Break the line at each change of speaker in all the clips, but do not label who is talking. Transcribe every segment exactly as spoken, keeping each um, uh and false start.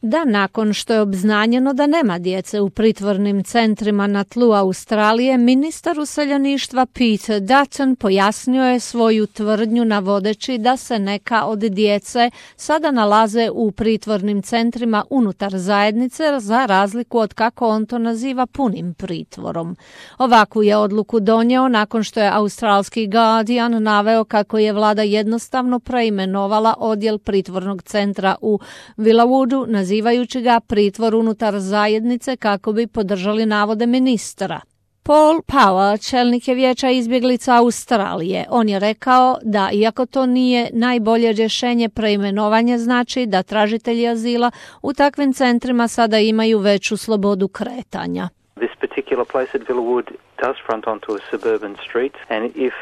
da nakon što je obznanjeno da nema djece u pritvornim centrima na tlu Australije, ministar useljeništva Peter Dutton pojasnio je svoju tvrdnju navodeći da se neka od djece sada nalaze u pritvornim centrima unutar zajednice za razliku od, kako on to naziva, punim pritvorom. Ovakvu je odluku donio nakon što je australski Guardian naveo kako je vlada jednostavno preimenovala odjel pritvornog centra u Vilawoodu, nazivajući ga pritvor unutar zajednice kako bi podržali navode ministra. Paul Power, čelnik je vijeća izbjeglica Australije. On je rekao da iako to nije najbolje rješenje, preimenovanje znači da tražitelji azila u takvim centrima sada imaju veću slobodu kretanja.
This particular place at Villawood does front onto a suburban street, and if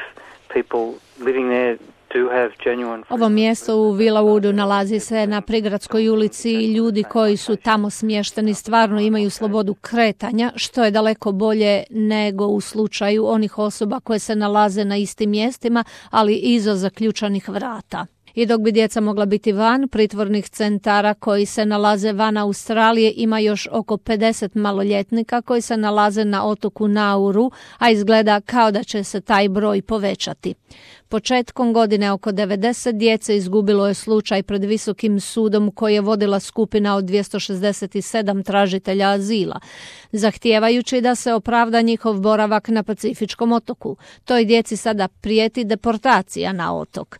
people living there do have genuine...
Ovo mjesto u Vilawoodu nalazi se na prigradskoj ulici i ljudi koji su tamo smješteni stvarno imaju slobodu kretanja, što je daleko bolje nego u slučaju onih osoba koje se nalaze na istim mjestima, ali iza zaključanih vrata. I dok bi djeca mogla biti van pritvornih centara koji se nalaze van Australije, ima još oko pedeset maloljetnika koji se nalaze na otoku Nauru, a izgleda kao da će se taj broj povećati. Početkom godine oko devedeset djece izgubilo je slučaj pred Visokim sudom koji je vodila skupina od dvjesto šezdeset sedam tražitelja azila, zahtijevajući da se opravda njihov boravak na Pacifičkom otoku. Toj djeci sada prijeti deportacija na otok.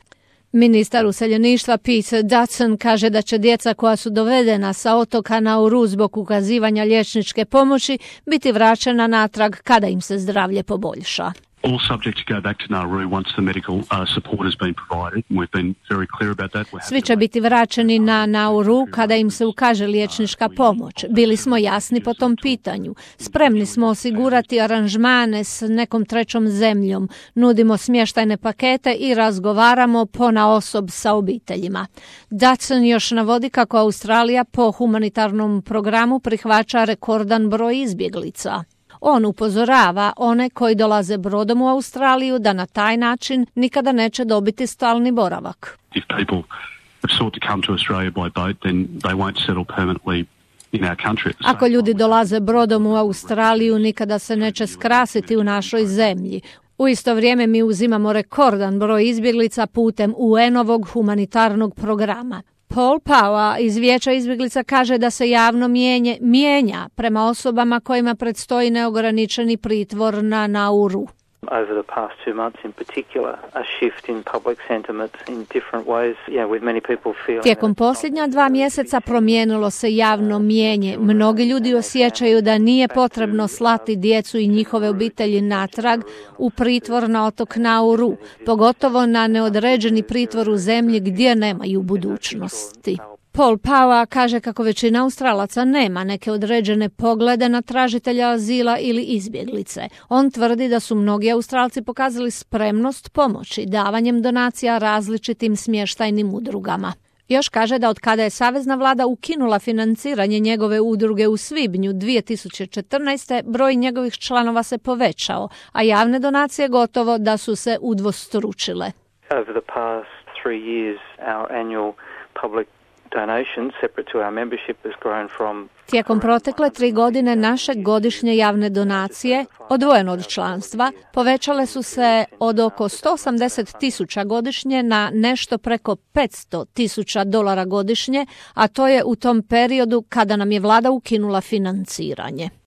Ministar useljeništva Peter Dutton kaže da će djeca koja su dovedena sa otoka Nauru zbog ukazivanja liječničke pomoći biti vraćena natrag kada im se zdravlje poboljša.
All subjects go back to Nauru once the medical uh, support has been provided. We've been very clear about that.
Svi će biti vraćeni na Nauru kada im se ukaže liječnička pomoć. Bili smo jasni po tom pitanju. Spremni smo osigurati aranžmane s nekom trećom zemljom. Nudimo smještajne pakete i razgovaramo ponaosob sa obiteljima. Dutton još navodi kako Australija po humanitarnom programu prihvaća rekordan broj izbjeglica. On upozorava one koji dolaze brodom u Australiju da na taj način nikada neće dobiti stalni boravak.
If people have sought to come to Australia by boat, then they won't settle permanently in our country.
Ako ljudi dolaze brodom u Australiju, nikada se neće skrasiti u našoj zemlji. U isto vrijeme mi uzimamo rekordan broj izbjeglica putem U N-ovog humanitarnog programa. Paul Power iz vijeća izbjeglica kaže da se javno mijenje, mijenja prema osobama kojima predstoji neograničeni pritvor na Nauru.
Over the past two months in particular, a shift in public sentiment in different ways, yeah, with many people feeling...
Tijekom posljednja dva mjeseca promijenilo se javno mijenje. Mnogi ljudi osjećaju da nije potrebno slati djecu i njihove obitelji natrag u pritvor na otok Nauru, pogotovo na neodređeni pritvor u zemlji gdje nemaju budućnosti. Paul Power kaže kako većina Australaca nema neke određene poglede na tražitelja azila ili izbjeglice. On tvrdi da su mnogi Australci pokazali spremnost pomoći davanjem donacija različitim smještajnim udrugama. Još kaže da od kada je savezna vlada ukinula financiranje njegove udruge u svibnju dvije tisuće četrnaeste. broj njegovih članova se povećao, a javne donacije gotovo da su se udvostručile.
Over the past three years, our annual public
Tijekom protekle tri godine naše godišnje javne donacije, odvojeno od članstva, povećale su se od oko sto osamdeset tisuća godišnje na nešto preko petsto tisuća dolara godišnje, a to je u tom periodu kada nam je vlada ukinula financiranje.